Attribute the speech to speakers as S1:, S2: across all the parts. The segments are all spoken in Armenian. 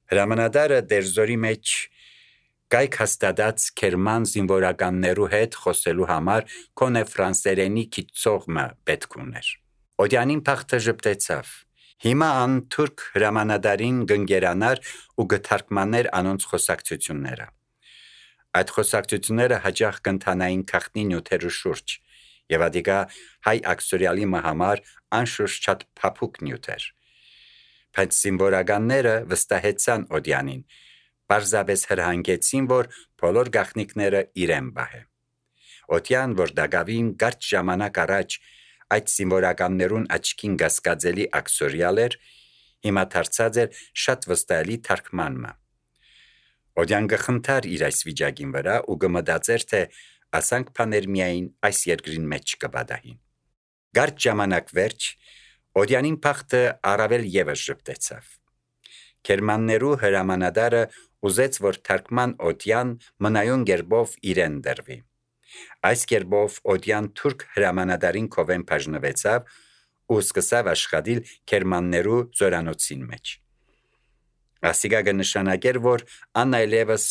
S1: Հրամանատարը դերձորի մեջ կայք հաստատած Քերման զինվորականներու հետ խոսելու համար կոնե ֆրանսերենի քիծողը պետք ուներ։ Օդյանին փախտը ժպտեցավ։ Հիմա ան թուրք հրամանատարին գնգերանար ու գթարկմաներ անոնց խոսակցությունները։ Այդ խոսակցությունները հաջող կընթանային քաղտնի նյութերու շուրջ, եւ ադիգա հայ ակսորիալի համար անշուշտ շատ փափուկ նյութ էր։ Բայց զինվորականները վստահեցան Օդյանին, պարզապես հրահանգեցին, որ բոլոր գաղտնիքները իրեն բահե։ Օդյան, որ դակավին կարճ ժամանակ առաջ այդ զինվորականներուն աչքին գասկածելի ակսորիալ էր, հիմա դարձած էր շատ վստահելի թարգմանմը։ Օդյան գխնդար իր այս վիճակին վրա ու գմտածեր, թե ասանք բաներ միայն այս երկրին մեջ կբադահին։ Կարճ ժամանակ վերջ Օդյանին փախտը առավել եւս ժպտեցավ։ Քերմաններու հրամանատարը ուզեց, որ թարգման Օդյան մնայուն գերբով իրեն դրվի։ Այս գերբով Օդյան թուրք հրամանատարին կովեն բաժնվեցավ ու սկսավ աշխատել քերմաններու զորանոցին մեջ։ Ասիգա կնշանակեր, որ անայլևս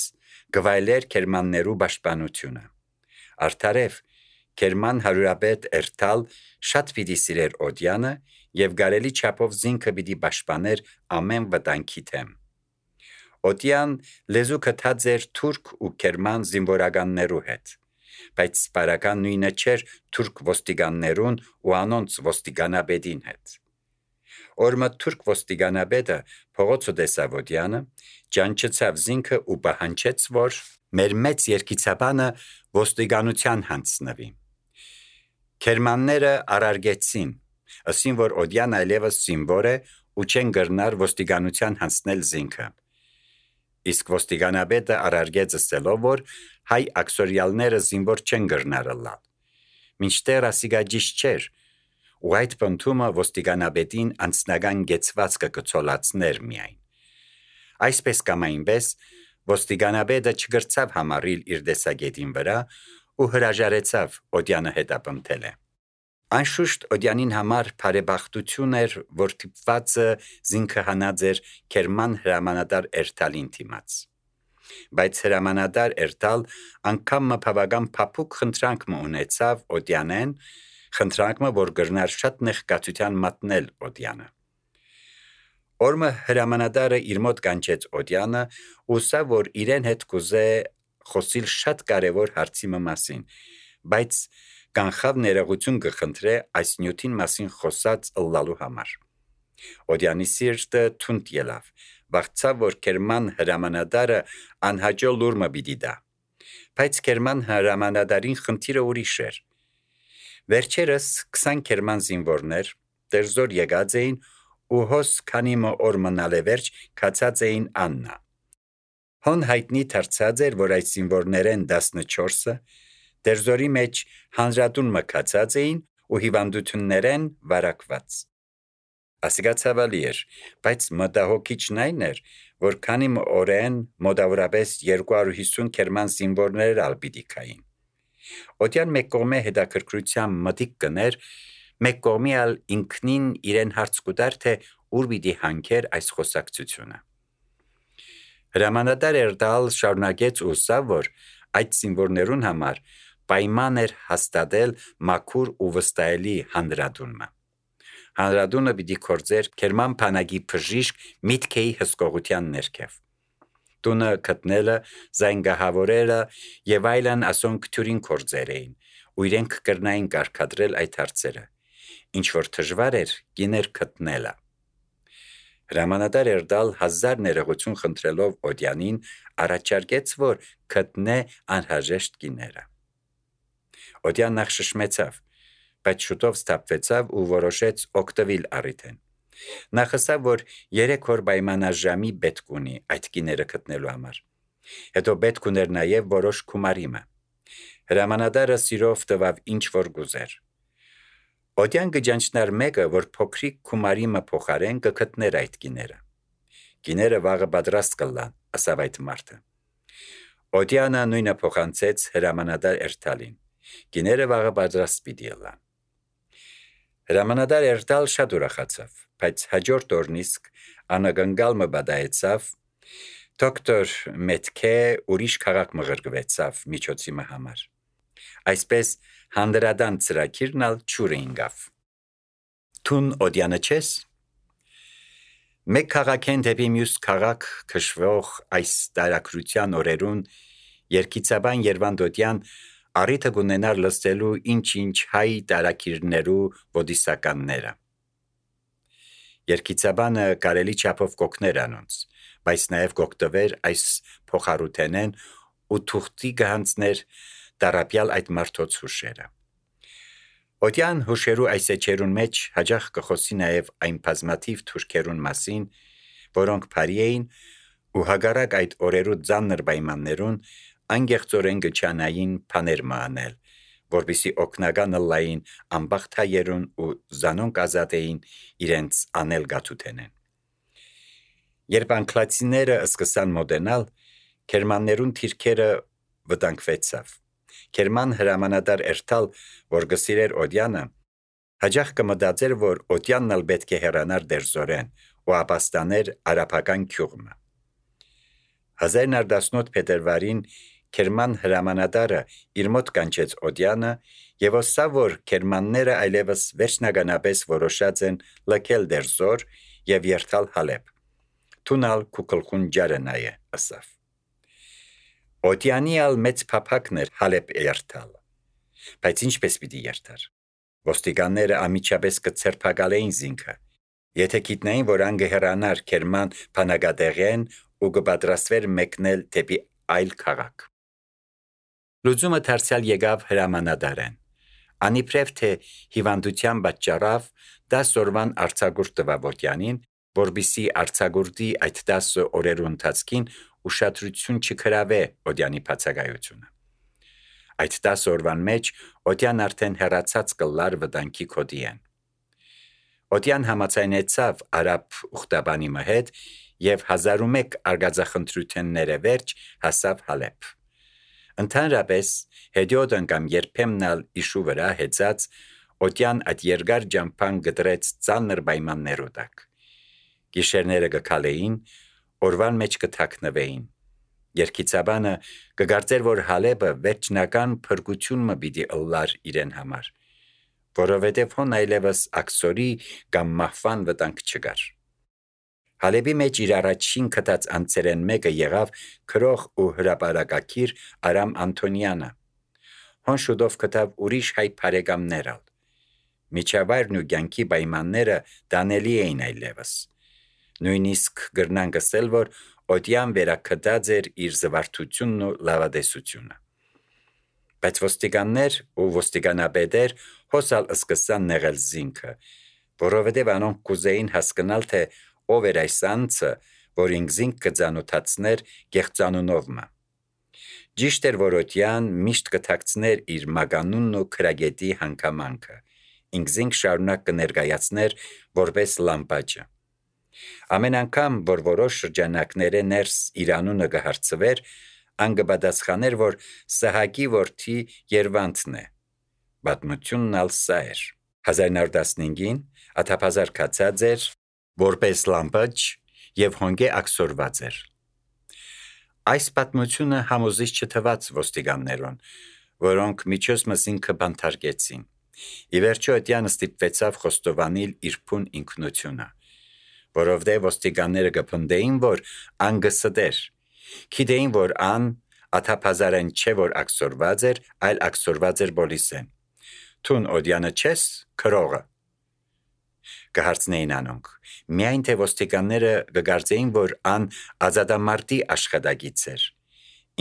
S1: գվայլեր քերմաններու պաշտպանությունը։ Արդարև Քերման հարուրապետ Էրթալ շատ պիտի սիրեր Օդյանը եւ գարելի չափով զինքը պիտի պաշտպաներ ամեն վտանգի դեմ։ Օդյան լեզու կթած էր թուրք ու քերման զինվորականներու հետ, բայց սպարական նույնը չէր թուրք ոստիկաններուն ու անոնց ոստիկանաբեդին հետ։ Օրմը թուրք ոստիկանաբեդը փողոցը տեսավ Օդյանը, ճանչեցավ զինքը ու պահանջեց, որ մեր մեծ երկիցաբանը ոստիկանության հանձնվի։ Քերմանները արարգեցին, ասին, որ Օդյան այլևս զինվոր է ու չեն գրնար ոստիկանության հանձնել զինքը։ Իսկ ոստիկանաբեդը արարգեց ասելով, որ հայ ակսորիալները զինվոր չեն գրնար լալ։ Մինչդեռ ասիգա ճիշտ չէր, ու այդ պնդումը ոստիկանաբեդին անձնական գեցվածքը կցոլացներ միայն։ Այսպես կամ այնպես ոստիկանաբեդը չգրցավ համարիլ իր դեսագետին վրա ու հրաժարեցավ Օդյանը հետապնդել է։ Անշուշտ Օդյանին համար բարեբախտություն էր, որ թիպվածը զինքը հանած էր Քերման հրամանատար Էրթալին թիմաց։ Բայց հրամանատար Էրթալ անգամ բավական փափուկ խնդրանք ունեցավ Օդյանեն, խնդրանքը, որ գրնար շատ նեղկացության մատնել Օդյանը։ Օրմը հրամանատարը իր մոտ կանչեց Օդյանը ու սա, որ իրեն հետ կուզե խոսիլ շատ կարևոր հարցի մասին, բայց կանխավ ներողություն կխնդրե այս նյութին մասին խոսած ըլլալու համար։ Օդյանի սիրտը թունդ ելավ, վախցավ, որ Քերման հրամանատարը անհաջո լուրմը պիտի տա, բայց Քերման հրամանատարին խնդիրը ուրիշ էր։ Վերջերս 20 քերման զինվորներ դերձոր եկած էին ու հոս քանի օր մնալ է վերջ կացած էին Աննա։ Հոն հայտնի դարձած էր, որ այդ զինվորներեն 14-ը դերձորի մեջ հանրատուն մկացած էին ու հիվանդություններեն վարակված։ Ասիգա ցավալի էր, բայց մտահոգիչն այն էր, որ քանի օրեն մոտավորապես 250 քերման զինվորներ ալ պիտի կային։ Օդյան մեկ կողմե հետաքրքրությամբ մտիկ կներ, մեկ կողմի ալ ինքնին իրեն հարց կուտար, թե ուր պիտի հանգեր այս խոսակցությունը։ Հրամանատար Էրթալ շարունակեց ու սա, որ այդ զինվորներուն համար պայման էր հաստատել մաքուր ու վստահելի հանրադունը։ Հանրադունը պիտի կործեր Քերման բանակի բժիշկ միտքեի հսկողության ներքև։ Տունը գտնելը, զանգահավորելը եւ այլն ասոն քթուրին կործեր էին, ու իրենք կրնային կարգադրել այդ հարցերը, ինչ որ դժվար էր գիներ գտնելը։ Հրամանատար Էրթալ 1000 ներողություն խնդրելով Օդյանին առաջարկեց, որ գտնե անհրաժեշտ գիները։ Օդյան նախ շշմեցավ, բայց շուտով սթափվեցավ ու որոշեց օգտվել առիթեն։ Նախ ասավ, որ 3 օր պայմանաժամի պետք ունի այդ գիները գտնելու համար։ Հետո պետք ուներ նաև որոշ գումարիմը։ Հրամանատարը սիրով տվավ ինչ որ գուզեր։ Օդյան գճանչնար մեկը, որ փոքրիկ գումարիմը փոխարեն կգտներ այդ գիները։ Գիները վաղը պատրաստ կլան, ասավ այդ մարդը։ Օդյանը նույնը փոխանցեց հրամանատար Էրթալին։ Գիները վաղը պատրաստ պիտի լան։ Հրամանատար Էրթալ շատ ուրախացավ, բայց հաջորդ օրն իսկ անագնգալ մը բադայեցավ, Դոկտոր Մետքե ուրիշ քաղաք մղրգվեցավ միջոցի համար։ Այսպես հանդրադան ծրագիրն ալ ճուրը ինգավ։ Տուն օդյանը չես։ Մեկ քաղաքեն դեպի մյուս քաղաք քշվող այս տարակրության օրերուն երկիցաբան Երվանդոդյան առիթը գունենար լսելու ինչ հայ տարակիրներու ոդիսականները։ Երկիցաբանը կարելի չափով կոգներ անոնց, բայց նաև գոկտվեր այս փոխարութենեն ու թուղթի գանցներ տարապյալ այդ մարդոց հուշերը։ Օդյան հուշերու այս էջերուն մեջ հաջող կխոսի նաև այն բազմաթիվ թուրքերուն մասին, որոնք բարի էին ու հագարակ այդ օրերու ծանր պայմաններուն անգեղծորեն գչանային բաներ մանել, որպեսզի օգնական լային ամբախտայերուն ու զանոնք ազատեին իրենց անել գաթութենեն։ Երբ անգլացիները սկսան մոդենալ, գերմաններուն թիրքերը վտանգվեցավ։ Գերման հրամանատար Էրթալ, որ գսիրեր Օդյանը, հաջող կմտածեր, որ Օդյանն ալ պետք է հեռանար դերձորեն ու ապաստաներ արաբական գյուղը։ 1918 փետրվարին Գերման հրամանատարը իր մոտ կանչեց Օդյանը եւ ասավ, որ գերմանները այլևս վերջնականապես որոշած են լքել դերձոր եւ երթալ Հալեբ։ Տունալ կուկլխուն ջարենայը ասավ։ Օդյանի ալ մեծ փափակներ Հալեբ երթալ։ Բայց ինչպես պիտի երթար։ Ոստիկանները ամիջապես կցերփակալեին զինքը։ Եթե գիտնային, որ անգը հեռանար Գերման բանագադեղեն ու կպատրաստվեր մեկնել դեպի այլ քաղաք։ Լուծումը դարձյալ եկավ հրամանատարեն։ Անիբրև թե հիվանդության պատճառով 10 օրվան արձակուրդ տվավ Օդյանին, որբիսի արձակուրդի այդ 10 օրերու ընթացքին ուշադրություն չքրավե Օդյանի բացակայությունը։ Այդ 10 օրվան մեջ Օդյան արդեն հեռացած կլար վտանգի կոդիեն։ Օդյան համաձայնեցավ արաբ ուխտաբանի հետ եւ 1001 արգածախնդրությունները վերջ հասավ Հալեբ։ Ընդհանրապես հետիոտ անգամ երբեմնալ իշու վրա հեծած Օդյան այդ երկար ջամփան գտրեց ծանր պայմաններու տակ։ Գիշերները գքալեին, օրվան մեջ կթաքնվեին։ Երկիցաբանը կգարձեր, որ Հալեբը վերջնական փրկությունը պիտի ըլլար իրեն համար, որովհետև հոն այլևս աքսորի կամ մահվան վտանգ չկար։ Հալեբի մեջ իր առաջին կտած անձերեն մեկը եղավ քրող ու հրապարակակիր Արամ Անտոնյանը։ Հոն շուտով կտավ ուրիշ հայ բարեկամներ ալ։ Միջավայրն ու կյանքի պայմանները դանելի էին այլևս։ Նույնիսկ գրնան գսել, որ Օդյան վերակդած էր իր զվարթությունն ու լավադեսությունը։ Բայց ոստիկաններ ու ոստիկանապետեր հոսալ սկսան նեղել զինքը, որովհետև անոնք կուզեին հասկանալ, թե ով էր այս անձը, որ ինքզինք կծանոթացներ գեղծանունովը։ Ճիշտ էր, որ Օդյան միշտ կթաքցներ իր մագանունն ու քրագետի հանգամանքը, ինքզինք շարունակ կներկայացներ որպես լամպաճը։ Ամեն անգամ, որ որոշ շրջանակները ներս իր անունը կհարցվեր, անգպատասխաներ, որ Սահակի որդի Երվանդն է։ Պատմությունն ալ սա էր։ 1915-ին աթափազար կացած էր որպես լամպաճ եւ հոնգե աքսորված էր։ Այս պատմությունը համոզիչ չթվաց ոստիկաններուն, որոնք միջոցմս ինքը բանթարկեցին։ Ի վերջո Օդյանը ստիպվեցավ խոստովանել իր փուն ինքնությունը, որովհետև ոստիկանները կփնդեին, որ անգսդեր, գիտեին, որ ան աթափազարեն չէ, որ աքսորված էր, այլ աքսորված էր բոլիսեն։ Տուն Օդյանը չես քրողը։ Կհարցնեին անոնք։ Միայն թե ոստիկանները կգարձեին, որ ան ազատամարտի աշխատագից էր։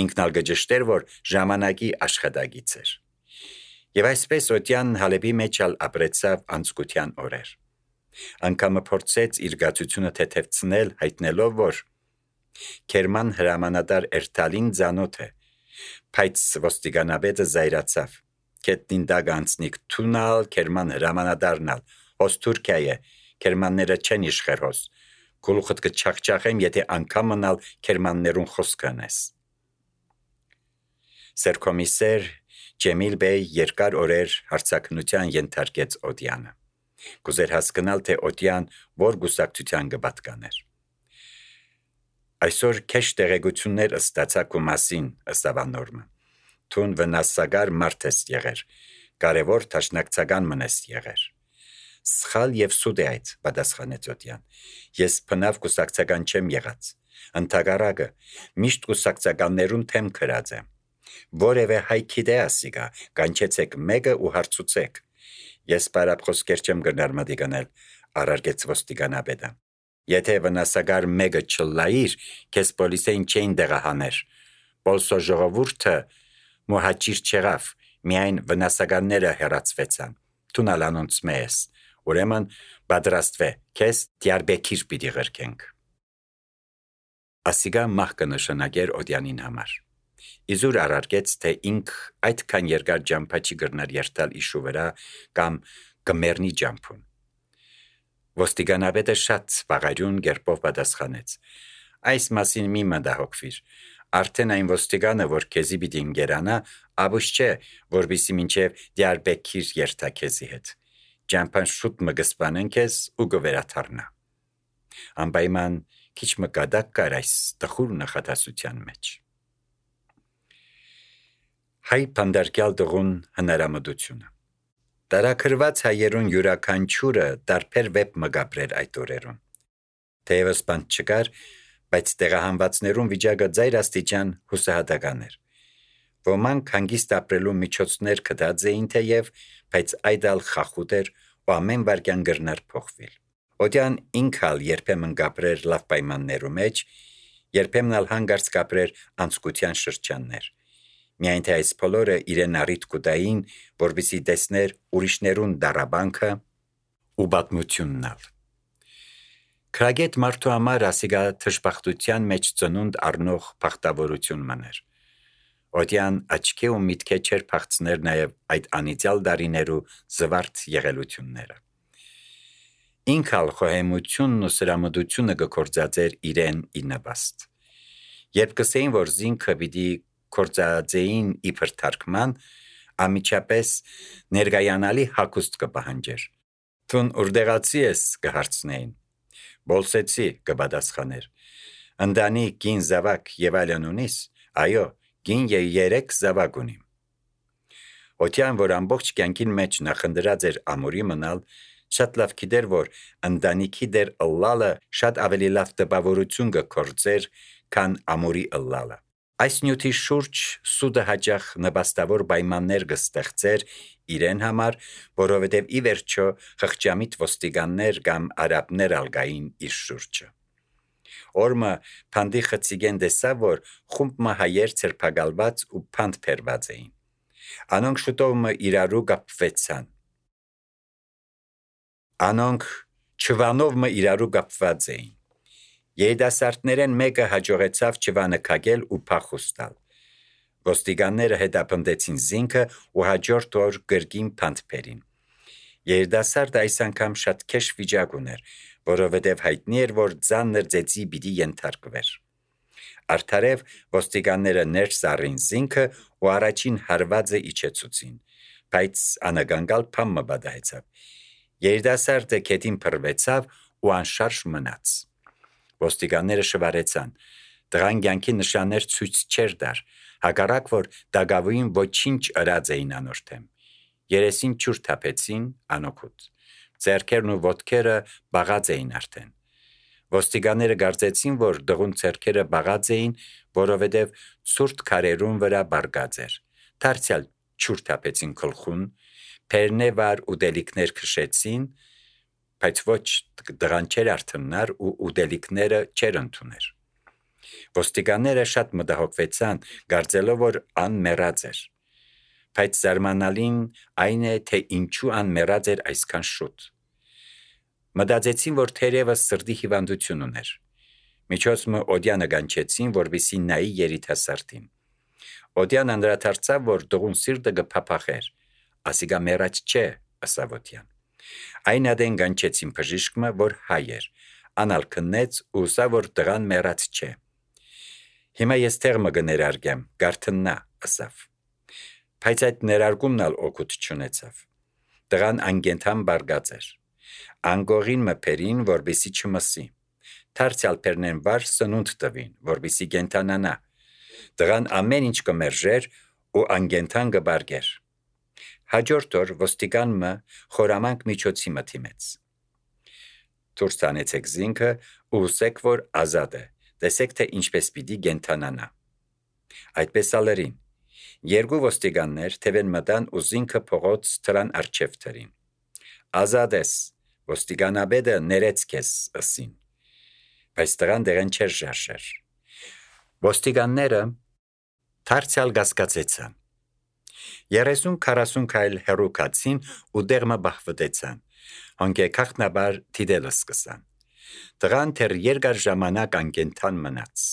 S1: Ինքն ալ կջշտեր, որ ժամանակի աշխատագից էր։ Եվ այսպես Օդյանն Հալեբի մեջ ալ ապրեցավ անցկության օրեր։ Անգամը փորձեց իր գացությունը թեթևցնել, հայտնելով, որ Գերման հրամանատար Էրթալին ծանոթ է, բայց ոստիկանապետը զայրացավ։ Կետնին դագ անցնիկ թունալ Գերման հրամանատարն ալ, հոս Թուրքիա է, Գերմանները չեն իշխեր հոս, գլուխդ կչախչախեմ, եթե անգամն ալ Գերմաններուն խոսք անես։ Սերկոմիսեր Ջեմիլ բեյ երկար օրեր հարցակնության ենթարկեց Օդյանը։ Կուզեր հասկանալ, թե Օդյան որ գուսակցության կպատկաներ։ Այսօր քեշ տեղեկություններ ստացակ ու մասին, ըստ ավանորմը։ Թուն վնասագար մարդ ես եղեր, կարևոր թաշնակցական մնես եղեր։ Սխալ եւ սուտ է այդ, պատասխանեց Օդյան։ Ես բնավ կուսակցական չեմ եղած։ Ընդհակառակը, միշտ կուսակցականներուն թեմ քրած եմ։ Որևէ հայքի դե ասիգա, կանչեցեք մեկը ու հարցուցեք։ Ես բարապխոսքեր չեմ գնար մտիգնել, առարգեց ոստիկանապետը։ Եթե վնասագար մեկը չլայիր, քեզ պոլիսեին չէին դեղահաներ։ Պոլսո ժողովուրդը մոհաճիր չեղավ, միայն վնասագարները հեռացվեցան։ Թունալ անոնց մեզ, ուրեմն պատրաստվե, քեզ Դիարբեկիր պիտի ղրկենք։ Ասիգա մահ կնշանակեր Օդյանին համար։ Իզուր առարկեց, թե ինք այդքան երկար ջամփա չի գրնար երթալ իշու վրա կամ գմերնի ջամփուն։ Ոստիկանապետը շատ վաղարյուն գերպով պատասխանեց. Այս մասին մի մտահոգվիր։ Արդեն այն ոստիգանը, որ քեզի պիտի ընկերանա, աբուշ չէ, որբիսի մինչև Դիարբեկիր երթա քեզի հետ։ Ջամփան շուտ մը գսպանեն քեզ ու գվերաթարնա։ Անպայման քիչ մը կադակ կար այս տխուր նախատասության մեջ։ Հայ փանդարկյալ դողուն հնարամտությունը։ Տարաքրված հայերուն յուրաքանչյուրը տարբեր վեպ մգապրեր այդ օրերուն։ Թեևս բանտ չկար, բայց տեղահանվածներուն վիճակը ձայր աստիճան հուսահատական էր։ Ոմանք հանգիստ ապրելու միջոցներ կդած էին թեև, բայց այդ ալ խախուտ էր ու ամեն վարքյան գրնար փոխվել։ Օդյան ինքալ երբեմն գապրեր լավ պայմաններու մեջ, երբեմն ալ հանգարց գապրեր անցկության շրջաններ։ Միայն թե այս բոլորը իրեն առիթ կուտային, որպեսզի տեսներ ուրիշներուն դարաբանքը ու պատմությունն ալ։ Քրագետ մարդու համար ասիգա թշպախտության մեջ ծնունդ առնող փախտավորություն մներ։ Օդյան աչքի ու միտքե չեր փախցներ նաև այդ անիծյալ դարիներու զվարթ եղելությունները։ Ինքալ խոհեմությունն ու սրամտությունը գործածեր իրեն ի նպաստ։ Երբ կսեին, որ զինքը պիտի կործածեին իբր թարգման, ամիջապես ներգայանալի հագուստ կպահանջեր։ Թուն ուրդեղացի ես կհարցնեին։ Բոլսեցի կպատասխաներ։ Ընդանի գին զավակ եւ այլն ունիս, այո, գին եւ 3 զավակ ունիմ։ Օդյան, որ ամբողջ կյանքին մեջ նախնդրած էր ամուրի մնալ, շատ լավ գիտեր, որ ընտանիքի դեր ըլլալը շատ ավելի լավ տպավորություն կգործեր, քան ամուրի ըլլալը։ Այս նյութի շուրջ սուդը հաճախ նպաստավոր պայմաններ կստեղծեր իրեն համար, որովհետև ի վերջո խղճամիտ ոստիկաններ կամ արաբներ ալգային իր շուրջը։ Օրմը փանդի խցիգեն տեսավ, որ խումբը հայեր ցերփակալված ու փանդ փերված էին։ Անոնք շուտով մը իրարու կապվեցան։ Անոնք չվանով մը իրարու կապված էին։ Երիտասարդներեն մեկը հաջողեցավ չվանը քագել ու փախուստալ։ Ոստիկանները հետապնդեցին զինքը ու հաջորդ օր գրգին փանդփերին։ Երիտասարդը այս անգամ շատ քեշ վիճակ ուներ, որովհետև հայտնի էր, որ ծանր ծեծի պիտի ենթարկվեր։ Արդարև ոստիկանները ներս առին զինքը ու առաջին հարվածը իջեցուցին, բայց անագանգալ փամը բադահեցավ։ Երիտասարդը քետին փռվեցավ ու անշարժ մնաց։ Ոստիկանները շվարեցան։ Դրան կյանքի նշաններ ցույց չեր դար, հակառակ որ դագավույն ոչինչ ըրած էին անորթեմ։ Երեսին ջուր թափեցին անօգուտ։ Ձեռքերն ու ոտքերը բաղած էին արդեն։ Ոստիկանները կարծեցին, որ դղուն ձեռքերը բաղած էին, որովհետև ցուրտ քարերուն վրա բարգած էր։ Դարձյալ ջուր թափեցին գլխուն, փերնե վար ու դելիկներ քշեցին, բայց ոչ դրան չեր արթնար ու ուդելիկները չեր ընդուներ։ Ոստիկանները շատ մտահոգվեցան, կարծելով, որ ան մեռած էր։ Բայց զարմանալին այն է, թե ինչու ան մեռած էր այսքան շուտ։ Մտածեցին, որ թերևս սրտի հիվանդություն ուներ։ Միջոցը Օդյանը կանչեցին, որպեսզի նայի երիտասարդին։ Օդյան անդրադարձավ, որ դողուն սիրտը կփափախեր։ Ասիգա մեռած չէ, ասավ Օդյան։ Այն ադեն կանչեցին բժիշկը, որ հայ էր, անալ քննեց ու սա որ դրան մեռած չէ։ Հիմա ես թեղմը կներարգեմ, գարթննա, ասավ։ Բայց այդ ներարգումն ալ օգուտ չունեցավ։ Դրան անգենթան բարգած էր։ Անգողին մփերին, որբեսի չմսի։ դարձյալ բեռնեն վար սնունդ տվին, որպեսզի կենթանանա։ Տղան ամեն ինչ կմերժեր ու անգենթան կբարգեր։ Հաջորդ օր ոստիկանը խորամանկ միջոցի մտիմեց։ Դուրս տանեցեք զինքը ու հուսեք, որ ազատ է, տեսեք, թե ինչպես պիտի կենթանանա։ Այդպես ալերին։ Երկու ոստիկաններ թևեն մտան ու զինքը փողոց դրան առջև դրին։ Ազատ ես, ոստիկանաբեդը ներեց քեզ ըսին, բայց տղան դեղեն չէր ժարժեր։ Ոստիկանները դարձյալ կասկածեցան։ 30-40 քայլ հեռու կացին ու դեղը բախվտեցան, հոնքե քաղտնաբար դիտել սկսան։ Տղան թեր երկար ժամանակ անկենթան մնաց։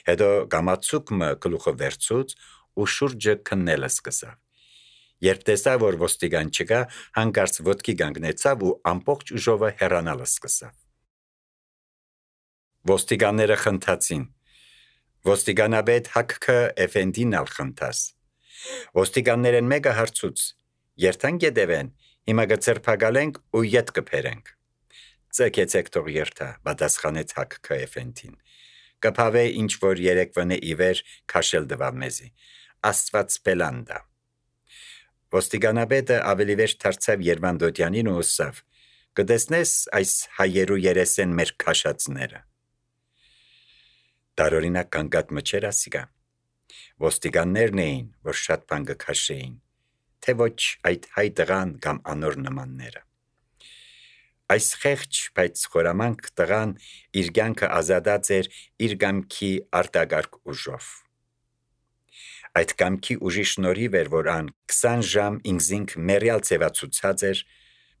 S1: Հետո գամացուկը գլուխը վերցուց ու շուրջը քննել սկսավ։ Երբ տեսավ, որ ոստիգան չկա, հանկարծ ոտքի կանգնեցավ ու ամբողջ ուժովը հեռանալ սկսավ։ Ոստիգանները խնդացին։ Ոստիգանաբեդ Հակքը Էֆենդին ալ խնդաս։ Ոստիգաններեն մեկը հարցուց. «Երթանք եդևեն, հիմա կցերփակալենք ու ետ կփերենք»։ «Ցեկեցեք թող երթա», պատասխանեց Հակքը Էֆենդին։ «Կփավե ինչ որ երեկվանե իվեր քաշել դվավ մեզի։ Աստված բելանդա»։ Ոստիգանաբեդը ավելի վեր դարձավ Երվանդոդյանին ու ասավ. «Կտեսնես այս հայերու երեսեն մեր քաշածները»։ Տարօրինակ կանգատ մչեր ասիգա։ Ոստիգաններն էին, որ շատ բան կքաշեին, թե ոչ այդ հայ տղան կամ անոր նմանները։ Այս խեղճ, բայց խորամանկ տղան իր կյանքը ազատած էր իր կամքի արտակարգ ուժով։ Այդ կամքի ուժի շնորհիվ էր, որ ան 20 ժամ ինքզինք մերյալ ձևացուցած էր,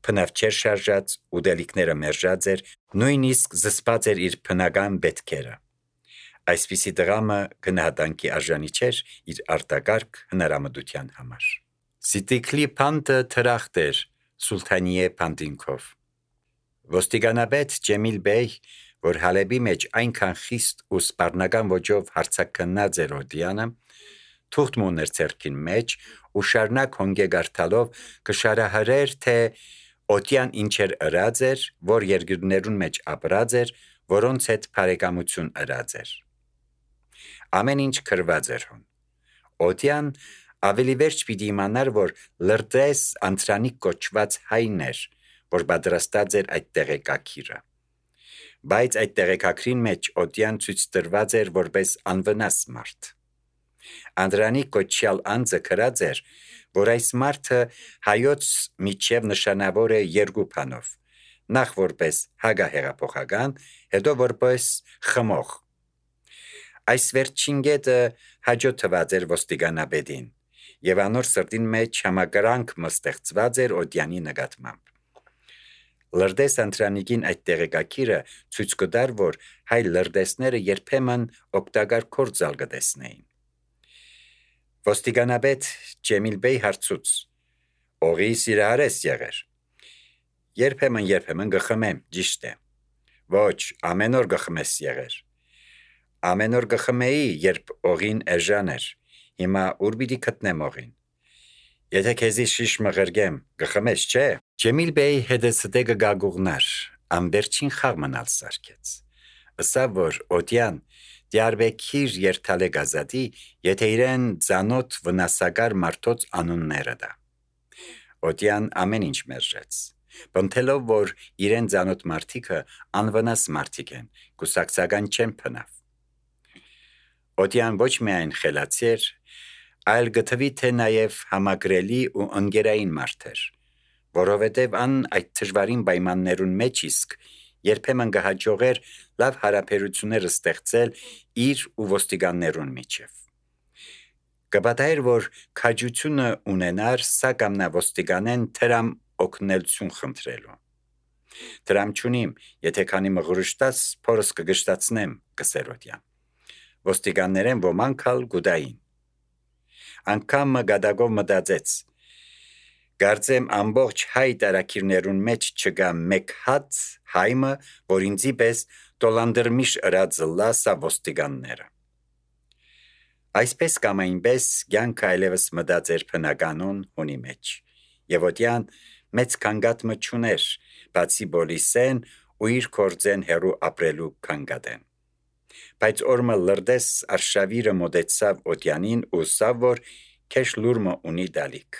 S1: փնավ չէր շարժած, ուտելիքները մերժած էր, նույնիսկ զսպած էր իր բնական պետքերը։ Այսպիսի դրամը գնահատանքի արժանի չէր իր արտակարգ հնարամտության համար։ Սիտիկլի փանտը թրախտ էր Սուլթանիե փանտինքով։ Ոստիգանաբեդ Ջեմիլ Բեյ, որ Հալեբի մեջ այնքան խիստ ու սպառնական ոճով հարցակնած էր Օդյանը, թուղթ մուներ ցերքին մեջ ու շարնակ հոնգե գարտալով կշարահարեր, թե Օդյան ինչեր ըրած էր, որ երկրներուն մեջ ապրած էր, որոնց հետ բարեկամություն ըրած էր։ Ամեն ինչ քրված էր հոն։ Օդյան ավելի վերջ պիտի իմանար, որ լրտես անտրանիկ կոչված հայն էր, որ պատրաստած էր այդ տեղեկակիրը։ Բայց այդ տեղեկակրին մեջ Օդյան ցույց տրված էր որպես անվնաս մարդ։ Անդրանիկ կոչյալ անձը քրած էր, որ այս մարդը հայոց միջև նշանավոր է երկու բանով. նախ որպես հագահեղափոխական, հետո որպես խմող։ Այս վերջին կետը հաջո թված էր ոստիգանաբեդին, եւ անոր սրտին մեջ համակրանք մստեղծված էր Օդյանի նկատմամբ։ Լրտես Անտրանիկին այդ տեղեկակիրը ցույց կտար, որ հայ լրտեսները երբեմն օգտակար կործալ կտեսնեին։ Ոստիգանաբեդ Ջեմիլ Բեյ հարցուց. «Օղի սիրահար ես եղեր»։ Երբեմն գխմեմ, ճիշտ է։ Ոչ, ամեն օր գխմես եղեր։ Ամեն օր գխմեի, երբ օղին էժան էր։ Հիմա ուր պիտի գտնեմ օղին։ Եթե քեզի շիշ մղրգեմ, գխմես, չէ։ Ջեմիլ Բեյ հետսդե գագուղնար, ամբերջին խաղ մնալ սարքեց։ Ըսավ, որ Օդյան դիարբեկիր երթալե գազադի, եթե իրեն ծանոթ վնասակար մարդոց անունները դա։ Օդյան ամեն ինչ մերժեց, բնթելով, որ իրեն ծանոթ մարդիկը անվնաս մարդիկ են, կուսակցական չեն փնավ։ Օդյան ոչ միայն խելացի էր, այլ գտվի թե նաև համակրելի ու ընկերային մարդ էր, որովհետև ան այդ դժվարին պայմաններուն մեջ իսկ երբեմն կհաջողեր լավ հարաբերություններ ստեղծել իր ու ոստիգաններուն միջև։ Կպատահեր, որ քաջությունը ունենար սա կամ նա ոստիգանեն թրամ օգնելություն խնդրելու։ Դրամ չունիմ, եթե քանի մղրուշտաս փորս կգշտացնեմ, կսեր Օդյան։ Ոստիգաններեն ոմանք ալ գուդային։ Անգամ գադագով մտածեց. Գարձեմ ամբողջ հայ տարակիրներուն մեջ չկա մեկ հատ հայմը, որ ինձի պես տոլանդրմիշ ըրած լասա ոստիգանները։ Այսպես կամ այնպես կյանքը այլևս մտած էր բնականon հունի մեջ, եւ Օդյան մեծ կանգատմը չուներ, բացի Բոլիսեն ու իր կորձեն հերու ապրելու կանգադեն։ Բայց օրմը լրդես արշավիրը մոտեցավ օդյանին ու սավ որ քեշ լուրմը ունի դալիք։